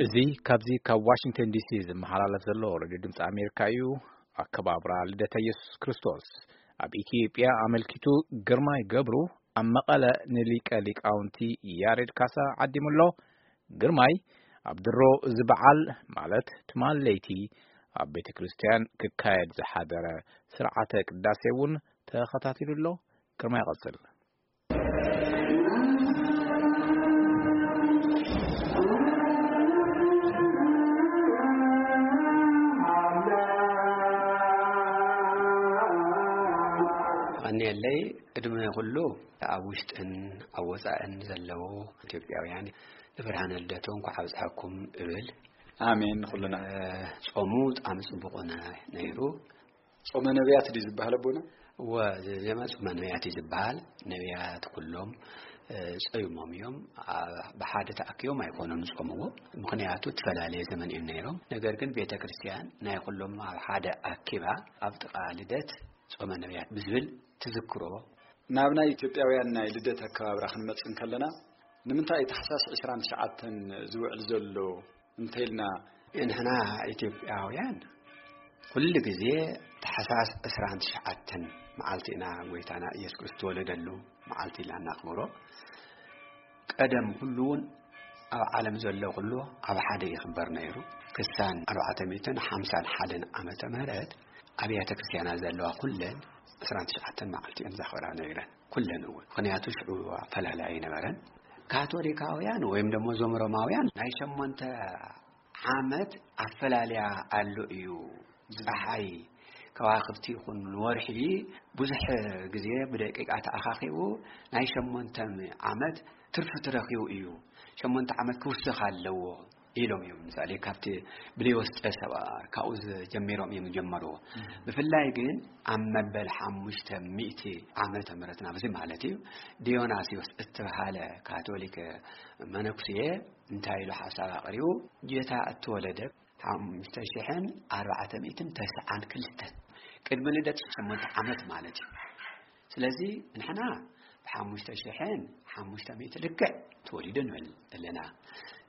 እዚ ካብዚ ካብ ዋሽንግተን ዲሲ ዝመሓላለፍ ዘሎ ሬድዮ ድምፂ ኣሜሪካ እዩ። ኣከባብራ ልደተ ኢየሱስ ክርስቶስ ኣብ ኢትዮጵያ ኣመልኪቱ ግርማይ ገብሩ ኣብ መቐለ ንሊቀ ሊቃውንቲ ያሬድ ካሳ ዓዲሙ ኣሎ። ግርማይ ኣብ ድሮ እዚ በዓል ማለት ትማል ለይቲ ኣብ ቤተ ክርስቲያን ክካየድ ዝሓደረ ስርዓተ ቅዳሴ እውን ተኸታቲሉ ኣሎ። ግርማይ ይቐጽል። ቀኒየለይ። ቅድሚ ኩሉ ኣብ ውሽጥን ኣብ ወጻእን ዘለዉ ኢትዮጵያውያን ንብርሃነ ልደቱ እንኳዕ ኣብጽሐኩም እብል። ኣሜን። ንኹልና። ጾሙ ብጣዕሚ ጽቡቕ ነ- ነይሩ። ጾመ ነቢያት ድዩ ዝበሃል ኣቦና? እወ፣ እዚ ዜማ ጾመ ነቢያት እዩ ዝበሃል። ነቢያት ኩሎም እ፣ ጸይሞም እዮም። ኣ- ብሓደ ተኣኪቦም ኣይኮኑን ዝጾምዎ። ምኽንያቱ እተፈላለየ ዘመን እዮም ነይሮም። ነገር ግን ቤተ ክርስቲያን ናይ ኩሎም ኣብ ሓደ ኣኪባ ኣብ ጥቓ ልደት ጾመ ነቢያት ብዝብል ትዝክሮ። ናብ ናይ ኢትዮጵያውያን ናይ ልደት ኣከባብራ ክንመጽእ እንከለና ንምንታይ እዩ ታሕሳስ ዕስራን ትሽዓተን ዝውዕል ዘሎ እንተኢልና? ንሕና ኢትዮጵያውያን ኩሉ ግዜ ታሕሳስ ዕስራን ትሽዓተን መዓልቲ ኢና ጎይታና ኢየሱስ ክርስቶስ ዝተወለደሉ መዓልቲ ኢልና እናኽብሮ። ቀደም ኩሉ እውን ኣብ ዓለም ዘሎ ኩሉ ኣብ ሓደ ይኽበር ነይሩ። ክሳን ኣርባዕተ ሚእትን ሓምሳን ሓደን ዓመተ ምህረት ኣብያተ ክርስቲያናት ዘለዋ ኩለን ዕስራን ትሽዓተን መዓልቲ እየን ዘኽብራ ነይረን። ኩለን እውን። ምኽንያቱ ሽዑ ኣፈላላይ ኣይነበረን። ካቶሊካውያን ወይም ደሞ እዞም ሮማውያን ናይ ሸሞንተ ዓመት ኣፈላልያ ኣሎ እዩ። ፀሓይ፣ ከዋኽብቲ ይኹን ወርሒ ብዙሕ ግዜ ብደቂቃ ተኣኻኺቡ ናይ ሸሞንተ ዓመት ትርፊ ትረኺቡ እዩ። ሸሞንተ ዓመት ክውስኽ ኣለዎ ኢሎም እዮም። ምሳሌ ካብቲ ብሌዎስ ቄሳር ካብኡ ጀሚሮም እዮም ዝጀመርዎ። ብፍላይ ግን ኣብ መበል ሓሙሽተ ሚእቲ ዓመተ ምህረት ናብዚ ማለት እዩ ዲዮናስዮስ እትበሃለ ካቶሊክ መነኩሴ እንታይ ኢሉ ሓሳብ ኣቕሪቡ? ጌታ እተወለደ ሓሙሽተ ሽሕን ኣርባዕተ ሚእትን ተስዓን ክልተን ቅድሚ ልደት ሸሞንተ ዓመት ማለት እዩ። ስለዚ ንሕና ብሓሙሽተ ሽሕን ሓሙሽተ ሚእቲ ልክዕ ተወሊዱ ንብል ኣለና።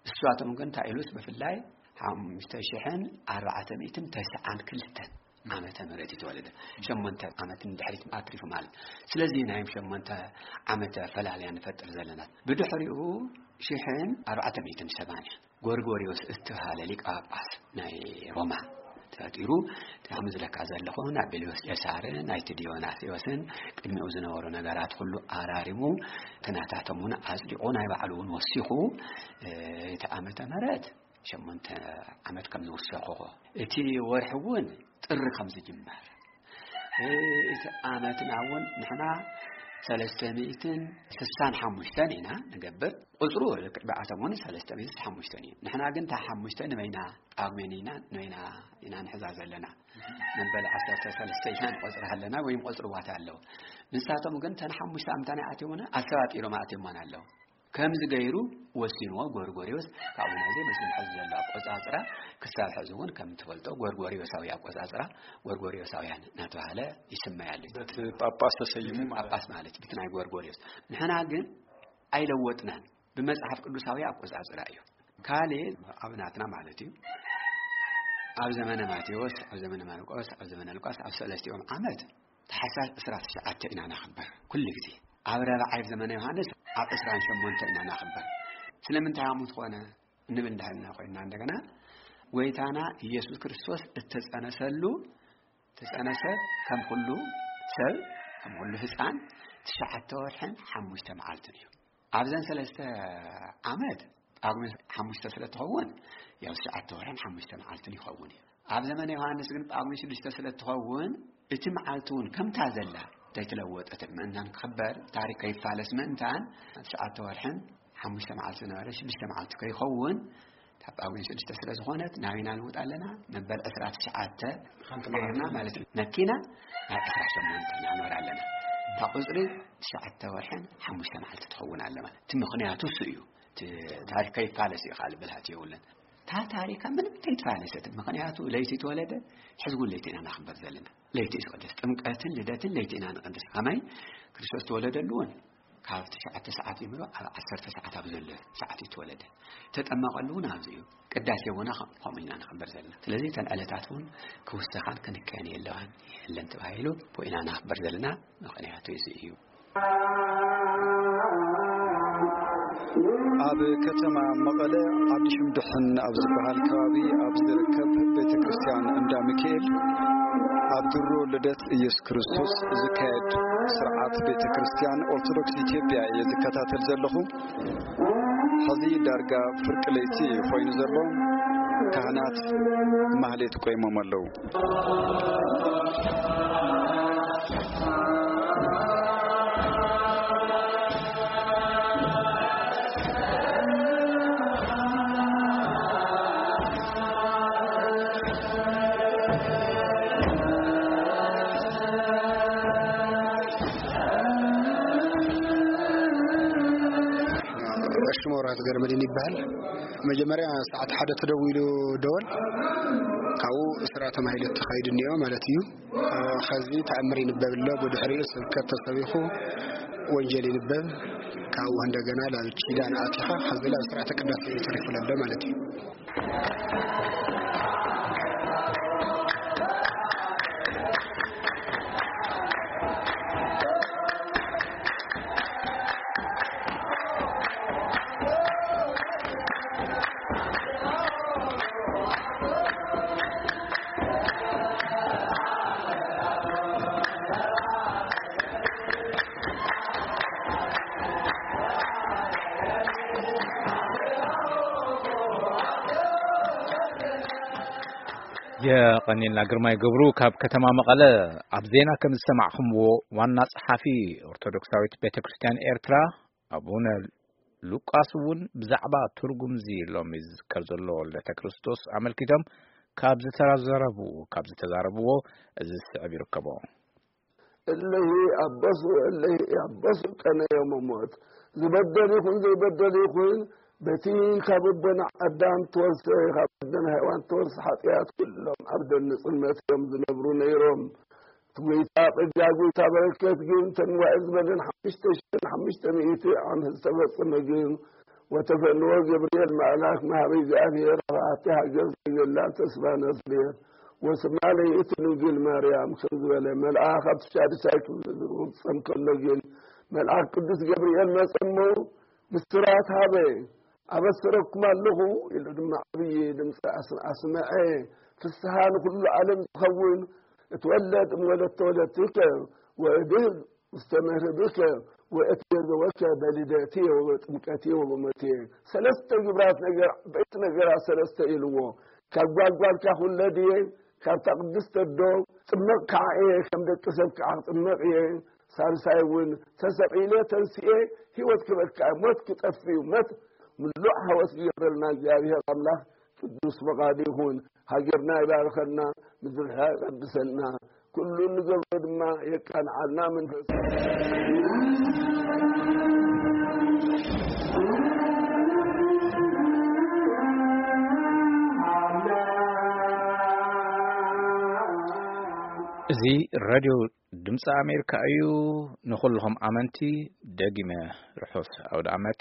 እሳቶም ግን እንታይ ኢሉስ ብፍላይ ሓሙሽተ ሽሕን ኣርባዕተ ሚእትን ተስዓን ክልተን ዓመተ ምህረት እዩ ተወለደ። ሸሞንተ ዓመት ንድሕሪት ኣትሪፉ ማለት። ስለዚ ናይ ሸሞንተ ዓመት ኣፈላልያ ንፈጥር ዘለና። ብድሕሪኡ ሽሕን ኣርባዕተ ሚእትን ሰማንያ ጎርጎሪዮስ እተባሃለ ሊቀ ጳጳስ ናይ ሮማ ተፈጢሩ። ከም ዝለካ ዘለኹ ናይ ቤልዮስ ቄሳርን ናይቲ ዲዮናስዮስን ቅድሚኡ ዝነበሩ ነገራት ኩሉ ኣራሪሙ፣ ተናታቶም እውን ኣጽዲቑ፣ ናይ ባዕሉ እውን ወሲኹ፣ እ፣ እቲ ዓመተ ምህረት ሸሞንተ ዓመት ከም ዝውሰኹ፣ እቲ ወርሒ እውን ጥሪ ከም ዝጅመር፣ እ፣ እቲ ዓመትና እውን ንሕና ሰለስተ ሚእትን ስሳን ሓሙሽተን ኢና ንገብር። ቁጽሩ ልክዕ ብኣቶም እውን ሰለስተ ሚእትን ሓሙሽተን እዩ። ንሕና ግን እታ ሓሙሽተ ንበይና ጳጉሜን ኢና፣ ንበይና ኢና ንሕዛ ዘለና። መበል ዓሰርተ ሰለስተ ኢና ንቆጽራ ኣለና፣ ወይም ቆጽርዋት ኣለዉ። ንሳቶም ግን እተን ሓሙሽተ ኣምታና ኣትዮምና ኣሰባጢሮም ኣትዮማን ኣለዉ። ከምዚ ገይሩ ወሲንዎ ጎርጎሪዎስ። ካብኡ ናይዚ በዚ ሕዚ ዘሎ ኣቆጻጽራ ክሳብ ሕዚ እውን ከም ትፈልጦ ጎርጎሪዮሳዊ ኣቆጻጽራ፣ ጎርጎሪዮሳውያን እናተባህለ ይስመይ ኣሎ። በቲ ጳጳስ ተሰይሙ ማለት። ጳጳስ ማለት እዩ፣ በቲ ናይ ጎርጎሪዮስ። ንሕና ግን ኣይለወጥናን፣ ብመጽሓፍ ቅዱሳዊ ኣቆጻጽራ እዩ። ካልእ ኣብ ናትና ማለት እዩ፣ ኣብ ዘመነ ማቴዎስ፣ ኣብ ዘመነ ማርቆስ፣ ኣብ ዘመነ ሉቃስ፣ ኣብ ሰለስቲኦም ዓመት ታሕሳስ ዕስራ ትሽዓተ ኢና ነኽብር ኩሉ ግዜ። ኣብ ራብዓይ ዘመነ ዮሃንስ ኣብ ዕስራን ሸሞንተ ኢና ነኽብር። ስለምንታይ ከምኡ ዝኾነ እንብል እንዳሃልና ኮይንና፣ እንደገና ጎይታና ኢየሱስ ክርስቶስ እተጸነሰሉ፣ ተጸነሰ ከም ኩሉ ሰብ፣ ከም ኩሉ ህጻን፣ ትሽዓተ ወርሕን ሓሙሽተ መዓልትን እዩ። ኣብዘን ሰለስተ ዓመት ጳጉሜ ሓሙሽተ ስለ እትኸውን፣ ያው ትሽዓተ ወርሕን ሓሙሽተ መዓልትን ይኸውን እዩ። ኣብ ዘመነ ዮሃንስ ግን ጳጉሜ ሽዱሽተ ስለ እትኸውን፣ እቲ መዓልቲ እውን ከምታ ዘላ ዘይተለወጠት ምእንታን ክኽበር፣ ታሪክ ከይፋለስ ምእንታን፣ ትሽዓተ ወርሕን ሓሙሽተ መዓልቲ ዝነበረ ሽዱሽተ መዓልቲ ከይኸውን፣ ካብ ጳጉሜ ሽዱሽተ ስለ ዝኾነት ናበይና ንውጥ ኣለና? መበል ዕስራ ትሽዓተ ሓንቲ ገይርና መዓልቲ ማለት እዩ። ነኪና ናብ ዕስራ ሸሞንተ ኢና ንበር ኣለና። እታ ቁጽሪ ትሽዓተ ወርሕን ሓሙሽተ መዓልቲ ትኸውን ኣለ ማለት። እቲ ምኽንያቱ እሱ እዩ። እቲ ታሪክ ከይፋለስ እዩ፣ ካልእ ብልሃት የብሉን። እታ ታሪካ ምንም ተይተፋለሰት። ምኽንያቱ ለይቲ ተወለደ፣ ሕዚ እውን ለይቲ ኢና ናኽበር ዘለና። ለይቲ እዩ ዝቕደስ። ጥምቀትን ልደትን ለይቲ ኢና ንቕድስ። ከመይ? ክርስቶስ ተወለደሉ እውን ካብ ትሽዓተ ሰዓት ጀሚሩ ኣብ ዓሰርተ ሰዓት ኣብ ዘሎ ሰዓት እዩ ተወለደ። ተጠመቐሉ እውን ኣብዚ እዩ። ቅዳሴ እውን ከም-፣ ከምኡ ኢና ንኽበር ዘለና። ስለዚ እተን ዕለታት እውን ክውሰኻን ክንከን የለዋን የለን ተባሂሉ ብኡ ኢና ንኽበር ዘለና። ምኽንያቱ እዚ እዩ። ኣብ ከተማ መቐለ ዓዲ ሽምድሕን ኣብ ዝበሃል ከባቢ ኣብ ዝርከብ ቤተ ክርስቲያን እንዳ ሚካኤል ኣብ ድሮ ልደት ኢየሱስ ክርስቶስ ዝካየድ ስርዓት ቤተ ክርስቲያን ኦርቶዶክስ ኢትዮጵያ እየ ዝከታተል ዘለኹ። ሕዚ ዳርጋ ፍርቂ ለይቲ ኮይኑ ዘሎ፣ ካህናት ማህሌት ቆይሞም ኣለዉ። ሽሞራት ገርመድን ይበሃል። መጀመርያ ሰዓት ሓደ ተደዊሉ ደወል፣ ካብኡ ስራ ተማሂለ ተኻይዱ እኒኦ ማለት እዩ። ከዚ ተኣምር ይንበብ ኣሎ፣ ብድሕሪኡ ስብከት ተሰቢኹ ወንጀል ይንበብ፣ ካብኡ እንደገና ናብ ኪዳን ኣቲኻ፣ ከዚ ናብ ስርዓተ ቅዳሴ ተሪፉ ኣሎ ማለት እዩ። የቐኒልና ግርማይ ገብሩ ካብ ከተማ መቐለ። ኣብ ዜና ከም ዝሰማዕኹምዎ፣ ዋና ጸሓፊ ኦርቶዶክሳዊት ቤተ ክርስቲያን ኤርትራ ኣቡነ ሉቃስ እውን ብዛዕባ ትርጉም እዚ ሎሚ ዝዝከር ዘሎ ልደተ ክርስቶስ ኣመልኪቶም ካብ ዝተዛረቡ-፣ ካብ ዝተዛረብዎ እዚ ዝስዕብ ይርከቦ። እለሂ ኣበሱ፣ እለሂ ኣበሱ ቀነ ዮም ሞት። ዝበደል ይኹን ዘይበደል ይኹን፣ በቲ ካብ ኣቦና ኣዳም ተወርሰ፣ ካብ ኣደና ሄዋን ተወርሰ ሓጢኣት፣ ኩሎም ኣብ ደን ጽልመት እዮም ዝነብሩ ነይሮም። እቲ ጎይታ ጸጋ፣ ጎይታ በረከት ግን፣ እተን ዋዒ ዝበለን ሓሙሽተ ሽሕን ሓሙሽተ ሚእቲ ዓመት ዝተፈጸመ ግን፣ ወተፈንዎ ገብርኤል መልኣክ መሃበ እግዚኣብሔር፣ ኣብ ኣቲ ሃገር ዘይገላ ተስፋ ነስሌር፣ ወስማ ለይእቲ ድንግል ማርያም፣ ከም ዝበለ፣ መልኣክ ኣብቲ ሻድሻይ ክፍሊ ዝርጉም ጸም ከሎ ግን፣ መልኣክ ቅዱስ ገብርኤል መጸ እሞ፣ ብስራት ሃበ፣ ኣበስረኩም ኣለኹ ኢሉ ድማ ዓብዪ ድምፂ ኣስ-፣ ኣስመዐ። ፍስሃ ንኹሉ ዓለም ዝኸውን፣ እትወለድ እምወለድ ተወለድትከ ወእድህብ ውስተ መርህብከ ወእትቤዘወከ በልደትየ ወበጥምቀትየ ወበሞትየ። ሰለስተ ግብራት ነገር፣ ዓበይቲ ነገራት ሰለስተ ኢልዎ። ካብ ጓልጓልካ ክውለድ እየ፣ ካብታ ቅድስት ኣዶ ጽመቕ ከዓ እየ፣ ከም ደቂ ሰብ ከዓ ክጥመቕ እየ። ሳልሳይ እውን ተሰቒለ ተንስኤ ህይወት ክበካ፣ ሞት ክጠፍእ እዩ። ሞት ምሉእ ሓወስ ይገብረልና እግዚኣብሔር ኣምላኽ፣ ቅዱስ ፈቓዱ ይኹን። ሃገርና ይባርኸልና፣ ምድርና ይቐድሰልና፣ ኩሉ እንገብሮ ድማ የቃንዓልና መንፈስ። እዚ ሬድዮ ድምፂ ኣሜሪካ እዩ። ንኹልኹም ኣመንቲ ደጊመ ርሑስ ኣውደ ዓመት።